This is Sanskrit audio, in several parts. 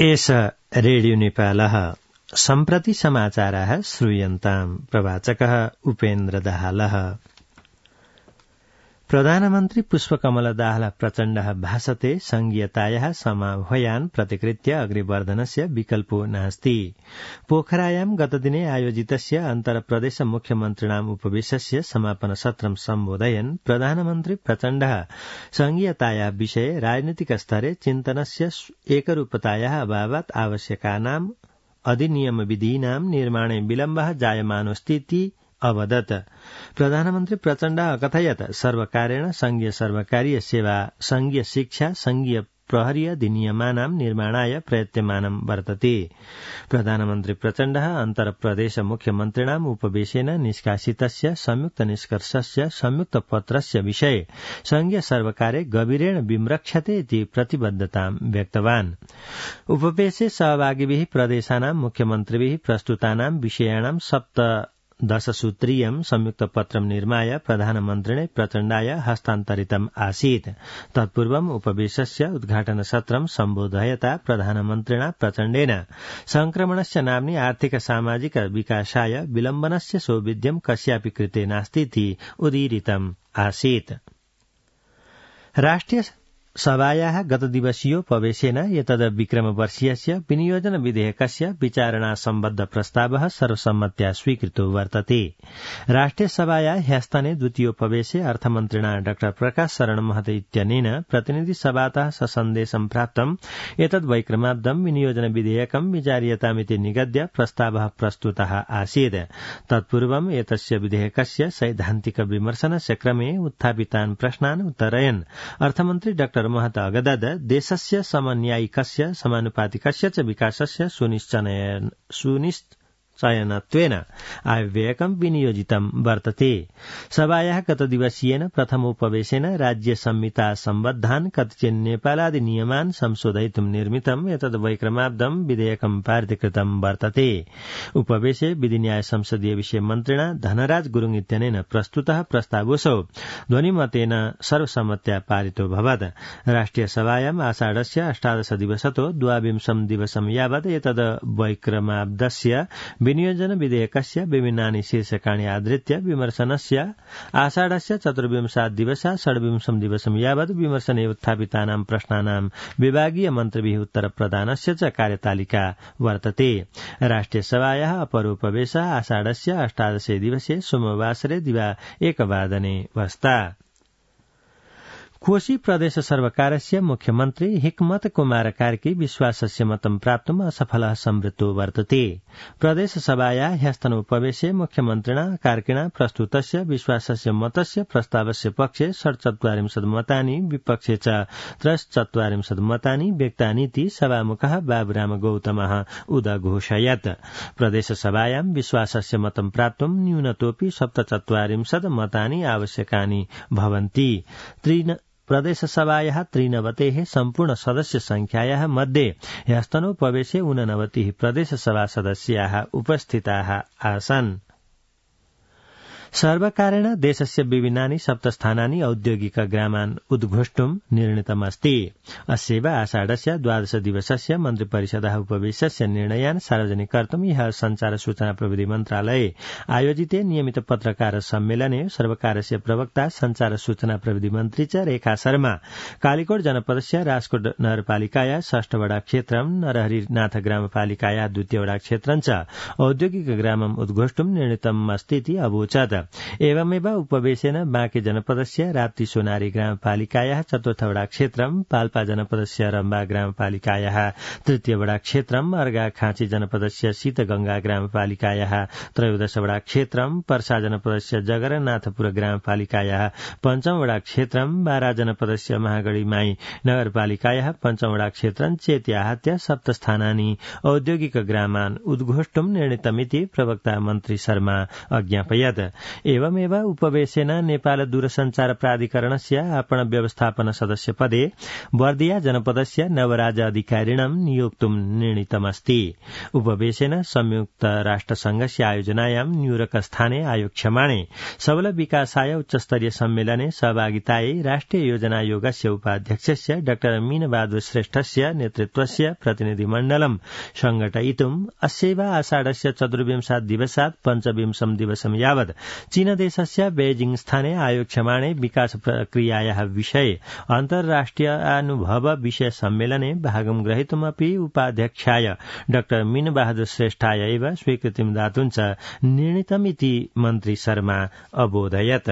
एष रेडियो नेपालः सम्प्रति समाचाराः श्रूयन्ताम्। प्रवाचकः उपेन्द्र दाहालः। प्रधानमन्त्री पुष्पकमल दाहाल प्रचण्डः भाषते संघीयतायाः समाह्वयान् प्रतिकृत्य अग्रिवर्धनस्य विकल्पो नास्ति। पोखरायां गतदिने आयोजितस्य अन्तरप्रदेश मुख्यमन्त्रिणाम् उपवेशस्य समापन सत्रं सम्बोधयन् प्रधानमन्त्री प्रचण्डः संघीयतायाः विषये राजनीतिक स्तरे चिन्तनस्य एकरूपतायाः अभावात् आवश्यकानाम् अधिनियमविधीनां निर्माणे विलम्बः जायमानोऽस्तीति अवदत्। प्रधानमन्त्री प्रचण्डः अकथयत् सर्वकारेण संघीय सर्वकारीय सेवा, संघीय शिक्षा, संघीय प्रहरी अधिनियमानां निर्माणाय प्रयत्यमानं वर्तते। प्रधानमन्त्री प्रचण्डः अन्तरप्रदेश मुख्यमन्त्रिणाम् उपवेशेन निष्कासितस्य संयुक्त निष्कर्षस्य संयुक्त पत्रस्य विषये संघीय सर्वकारे गभीरेण विमृक्षते इति प्रतिबद्धतां व्यक्तवान्। उपवेशे सहभागिभिः प्रदेशानां मुख्यमन्त्रिभिः प्रस्तुतानां विषयाणां 17 संयुक्त पत्रं निर्माय प्रधानमन्त्रिणे प्रचण्डाय हस्तान्तरितम् आसीत्। तत्पूर्वम् उपवेशस्य उद्घाटन सत्रं सम्बोधयता प्रधानमन्त्रिणा प्रचण्डेन संक्रमणस्य नाम्नि आर्थिक सामाजिक विकासाय विलम्बनस्य सौविध्यं कस्यापि कृते नास्तीति उदीरितम् आसीत्। राष्ट्रिय सभायाः गतदिवसीयोपवेशेन एतद् विक्रमवर्षीयस्य विनियोजन विधेयकस्य विचारणा सम्बद्ध प्रस्तावः सर्वसम्मत्या स्वीकृतो वर्तते। राष्ट्रिय सभाया ह्यस्तने द्वितीयोपवेशे अर्थमन्त्रिणा डॉ प्रकाश शरण महत इत्यनेन प्रतिनिधि सभातः सन्देशं प्राप्तम् एतद् वैक्रमाब्दं विनियोजन विधेयकं विचार्यतामिति निगद्य प्रस्तावः प्रस्तुतः आसीत्। तत्पूर्वम् एतस्य विधेयकस्य सैद्धान्तिक विमर्शनस्य क्रमे उत्थापितान् प्रश्नान् उत्तरयन् अर्थमन्त्री डॉ महत अगदद देशस्य समन्यायिकस्य समानुपातिकस्य च विकासस्य सुनिश्चयनत्वेन आयव्ययकं विनियोजितं वर्तते। सभायाः गतदिवसीयेन प्रथमोपवेशेन राज्य संहिता सम्बद्धान् कतिचन नेपालादि नियमान् संशोधयितुं निर्मितम् एतद् वैक्रमाब्दं विधेयकं पारितकृतं वर्तते। उपवेशे विधि न्याय संसदीय विषय मन्त्रिणा धनराज गुरुङ इत्यनेन प्रस्तुतः प्रस्तावोऽसौ ध्वनिमतेन सर्वसम्मत्या पारितोऽभवत्। राष्ट्रिय सभायाम् आषाढस्य 18 दिवसतो 22 दिवसं यावत् एतद् वैक्रमाब्दस्य विनियोजन विधेयकस्य विभिन्नानि शीर्षकाणि आधृत्य विमर्शनस्य आषाढस्य 24 दिवसा 26 दिवसं यावत् विमर्शने उत्थापितानां प्रश्नानां विभागीय मन्त्रिभिः उत्तरप्रदानस्य च कार्यतालिका वर्तते। राष्ट्रिय सभायाः अपरोपवेशः आषाढस्य 18 दिवसे सोमवासरे दिवा 1 वादने वस्ता। कोशी प्रदेश सर्वकारस्य मुख्यमन्त्री हिक्मत कुमार कार्की विश्वासस्य मतं प्राप्तुम् असफलः संवृत्तो वर्तते। प्रदेश सभायाः ह्यस्तनोपवेशे मुख्यमन्त्रिणा कार्किणा प्रस्तुतस्य विश्वासस्य मतस्य प्रस्तावस्य पक्षे 47 मतानि विपक्षे च 43 मतानि व्यक्तानीति सभामुखः बाबुराम गौतमः उदघोषयत्। प्रदेश सभायां विश्वासस्य मतं प्राप्तुम् न्यूनतोऽपि 47 मतानि आवश्यकानि भवन्ति। प्रदेश सभायाः 93 सम्पूर्ण सदस्य संख्यायाः मध्ये ह्यस्तनोपवेशे 89 प्रदेश सभा सदस्याः उपस्थिताः आसन्। सर्वकारेण देशस्य विभिन्नानि 7 स्थानानि औद्योगिक ग्रामान् उद्घोष्टुम् निर्णीतमस्ति। अस्यैव आषाढस्य 12 दिवसस्य मन्त्रिपरिषदः उपवेशस्य निर्णयान् सार्वजनिक कर्तुम् ह्यः संचार सूचना प्रविधि मन्त्रालये आयोजिते नियमित पत्रकार सम्मेलने सर्वकारस्य प्रवक्ता संचार सूचना प्रविधि मन्त्री च रेखा शर्मा कालीकोट जनपदस्य राजकोट नगरपालिकायाः 6 वडा क्षेत्रं नरहरिनाथ ग्रामपालिकायाः 2 वडा क्षेत्रं च औद्योगिक ग्रामम् उद्घोष्टुम् निर्णीतमस्तीति अवोचत्। एवमेव उपवेशेन बाँके जनपदस्य राप्ती सोनारी ग्रामपालिकायाः 4 वडा क्षेत्रं, पाल्पा जनपदस्य रम्बा ग्रामपालिकायाः 3 वडा क्षेत्रं, अर्घाखाँची जनपदस्य शीतगंगा ग्रामपालिकायाः 13 वडा क्षेत्रं, पर्सा जनपदस्य जगन्नाथपुर ग्रामपालिकायाः 5 वडा क्षेत्रं, बारा जनपदस्य महागढीमाई नगरपालिकायाः 5 वडा क्षेत्रं चेत्याहत्य 7 स्थानानि औद्योगिक ग्रामान् उद्घोष्टुम् निर्णीतमिति प्रवक्ता मन्त्री शर्मा अज्ञापयत्। एवमेव उपवेशेन नेपाल दूरसञ्चार प्राधिकरणस्य आपण व्यवस्थापन सदस्य पदे बर्दिया जनपदस्य नवराज अधिकारिणं नियोक्तुं निर्णीतमस्ति। उपवेशेन संयुक्त राष्ट्रसंघस्य आयोजनायां न्यूयॉर्क स्थाने आयोक्ष्यमाणे सबल विकासाय उच्चस्तरीय सम्मेलने सहभागितायै राष्ट्रिय योजना आयोगस्य उपाध्यक्षस्य डॉ मीनबहादुर श्रेष्ठस्य नेतृत्वस्य प्रतिनिधिमण्डलं संघटयितुम् अस्यैव आषाढस्य चतुर्विंशात् दिवसात् पञ्चविंशं दिवसं यावत् चीनदेशस्य बेजिंग स्थाने आयोक्ष्यमाणे विकास प्रक्रियायाः विषये अन्तर्राष्ट्रियानुभव विषय सम्मेलने भागं ग्रहीतुमपि उपाध्यक्षाय डॉ मीनबहादुर श्रेष्ठाय एव स्वीकृतिं दातुं च निर्णीतमिति मन्त्री शर्मा अबोधयत्।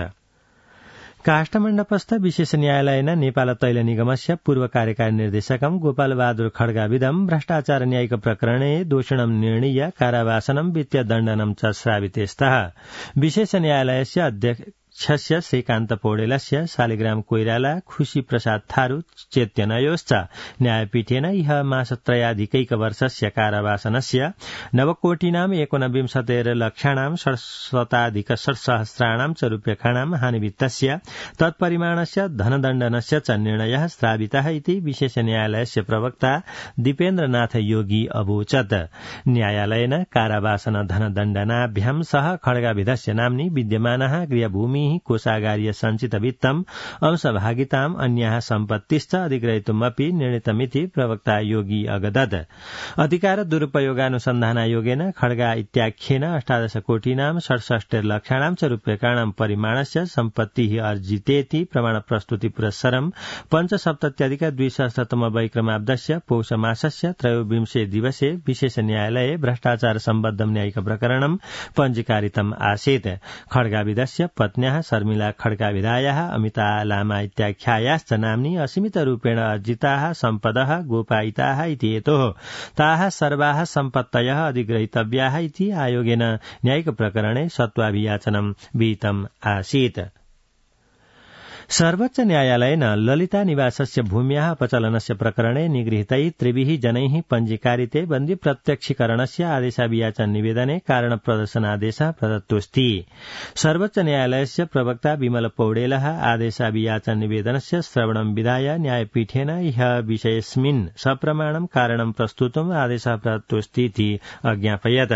काष्ठमण्डपस्थ विशेष न्यायालयेन नेपाल तैल निगमस्य पूर्व कार्यकारी निर्देशकं गोपालबहादुर खड्गाविदं भ्रष्टाचार न्यायिक प्रकरणे दोषिणं निर्णीय कारावासनं वित्तीयदण्डनं च श्राविते स्तः। विशेष न्यायालयस्य अध्यक्षस्य श्रीकान्त पौडेलस्य शालिग्राम कोइराला खुशी प्रसाद थारू चेत्यनयोश्च न्यायपीठेन इह मासत्रयाधिकैकवर्षस्य कारावासनस्य नवकोटिनां 19 लक्षाणां 67,600 च रूप्यकाणां हानिवित्तस्य तत्परिमाणस्य धनदण्डनस्य च निर्णयः श्रावितः इति विशेष न्यायालयस्य प्रवक्ता दीपेन्द्रनाथ योगी अवोचत्। न्यायालयेन कारावासन धनदण्डनाभ्यां सह खड्गाविधस्य नाम्नि विद्यमानः गृहभूमि कोषागारीय संचित वित्तम् अंशभागिताम् अन्याः सम्पत्तिश्च अधिग्रहीतुमपि निर्णीतमिति प्रवक्ता योगी अगदत्। अधिकार दुरुपयोगानुसन्धानायोगेन खड्गा इत्याख्येन 18 कोटिनां 67 लक्षाणां च रूप्यकाणां परिमाणस्य सम्पत्तिः अर्जितेति प्रमाण प्रस्तुति पुरस्सरं 5,70,200 वैक्रमाब्दस्य पौषमासस्य 23 दिवसे विशेष न्यायालये भ्रष्टाचार सम्बद्धं न्यायिक प्रकरणं पञ्जीकारितम् आसीत्। खड्गाविदस्य पत्न्याः शर्मिला खड्गाविधायाः अमिता लामा इत्याख्यायाश्च नाम्नि असीमितरूपेण अर्जिताः सम्पदः गोपायिताः इति हेतोः ताः सर्वाः सम्पत्तयः अधिग्रहीतव्याः इति आयोगेन न्यायिक प्रकरणे सत्त्वाभियाचनं विहितम् आसीत्। सर्वोच्च न्यायालयेन ललिता निवासस्य भूम्याः अपचलनस्य प्रकरणे निगृहीतै त्रिभिः जनैः पञ्जीकारिते बन्दी प्रत्यक्षीकरणस्य आदेशाभियाचन निवेदने कारणप्रदर्शनादेशः प्रदत्तोऽस्ति। सर्वोच्च न्यायालयस्य प्रवक्ता विमल पौडेलः आदेशाभियाचन निवेदनस्य श्रवणं विधाय न्यायपीठेन इह विषयेऽस्मिन् सप्रमाणं कारणं प्रस्तुतुम् आदेशः प्रदत्तोऽस्तीति अज्ञापयत्।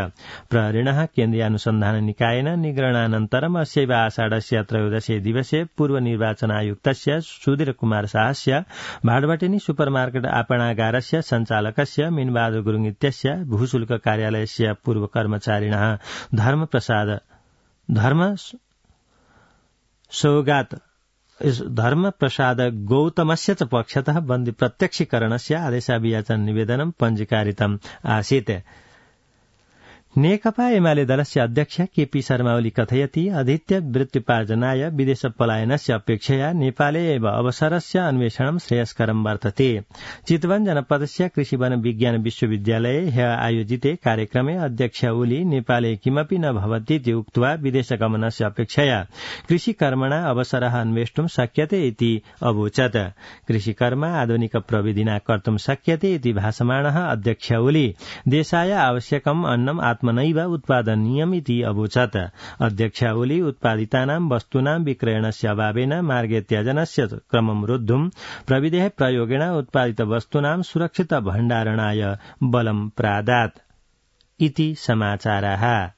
प्रहरिणः केन्द्रीयानुसन्धान निकायेन निगरणानन्तरम् अस्यैव आषाढस्य 13 दिवसे पूर्वनिर्वाचनायुक्तस्य सुधीर कुमार शाहस्य भाडभटेनी सुपरमार्केट आपणागारस्य सञ्चालकस्य मीनबहादुर गुरुङ इत्यस्य भूशुल्क कार्यालयस्य पूर्व कर्मचारिणः धर्मप्रसाद गौतमस्य च पक्षतः बन्दी प्रत्यक्षीकरणस्य आदेशाभियाचन निवेदनं पञ्जीकारितम् आसीत्। नेकपा एमाले दलस्य अध्यक्ष केपी शर्मा ओली कथयति अधित्य वृत्तिपार्जनाय विदेश पलायनस्य अपेक्षया नेपाले एव अवसरस्य अन्वेषणं श्रेयस्करं वर्तते। चितवन जनपदस्य कृषि वन विज्ञान विश्वविद्यालये ह्यः आयोजिते कार्यक्रमे अध्यक्ष ओली नेपाले किमपि न भवतीति उक्त्वा विदेशगमनस्य अपेक्षया कृषिकर्मणा अवसरः अन्वेष्टुं शक्यते इति अवोचत्। कृषिकर्म आधुनिक प्रविधिना कर्तुं शक्यते इति भाषमाणः अध्यक्ष ओली देशाय आवश्यकम् अन्नम् आत्मनैव उत्पादनीयमिति अवोचत्। अध्यक्ष ओली उत्पादितानां वस्तूनां विक्रयणस्य अभावेन मार्गे त्यजनस्य क्रमं रोद्धुं प्रविधेः प्रयोगेण उत्पादित वस्तूनां सुरक्षित भण्डारणाय बलं प्रादात् इति समाचाराः।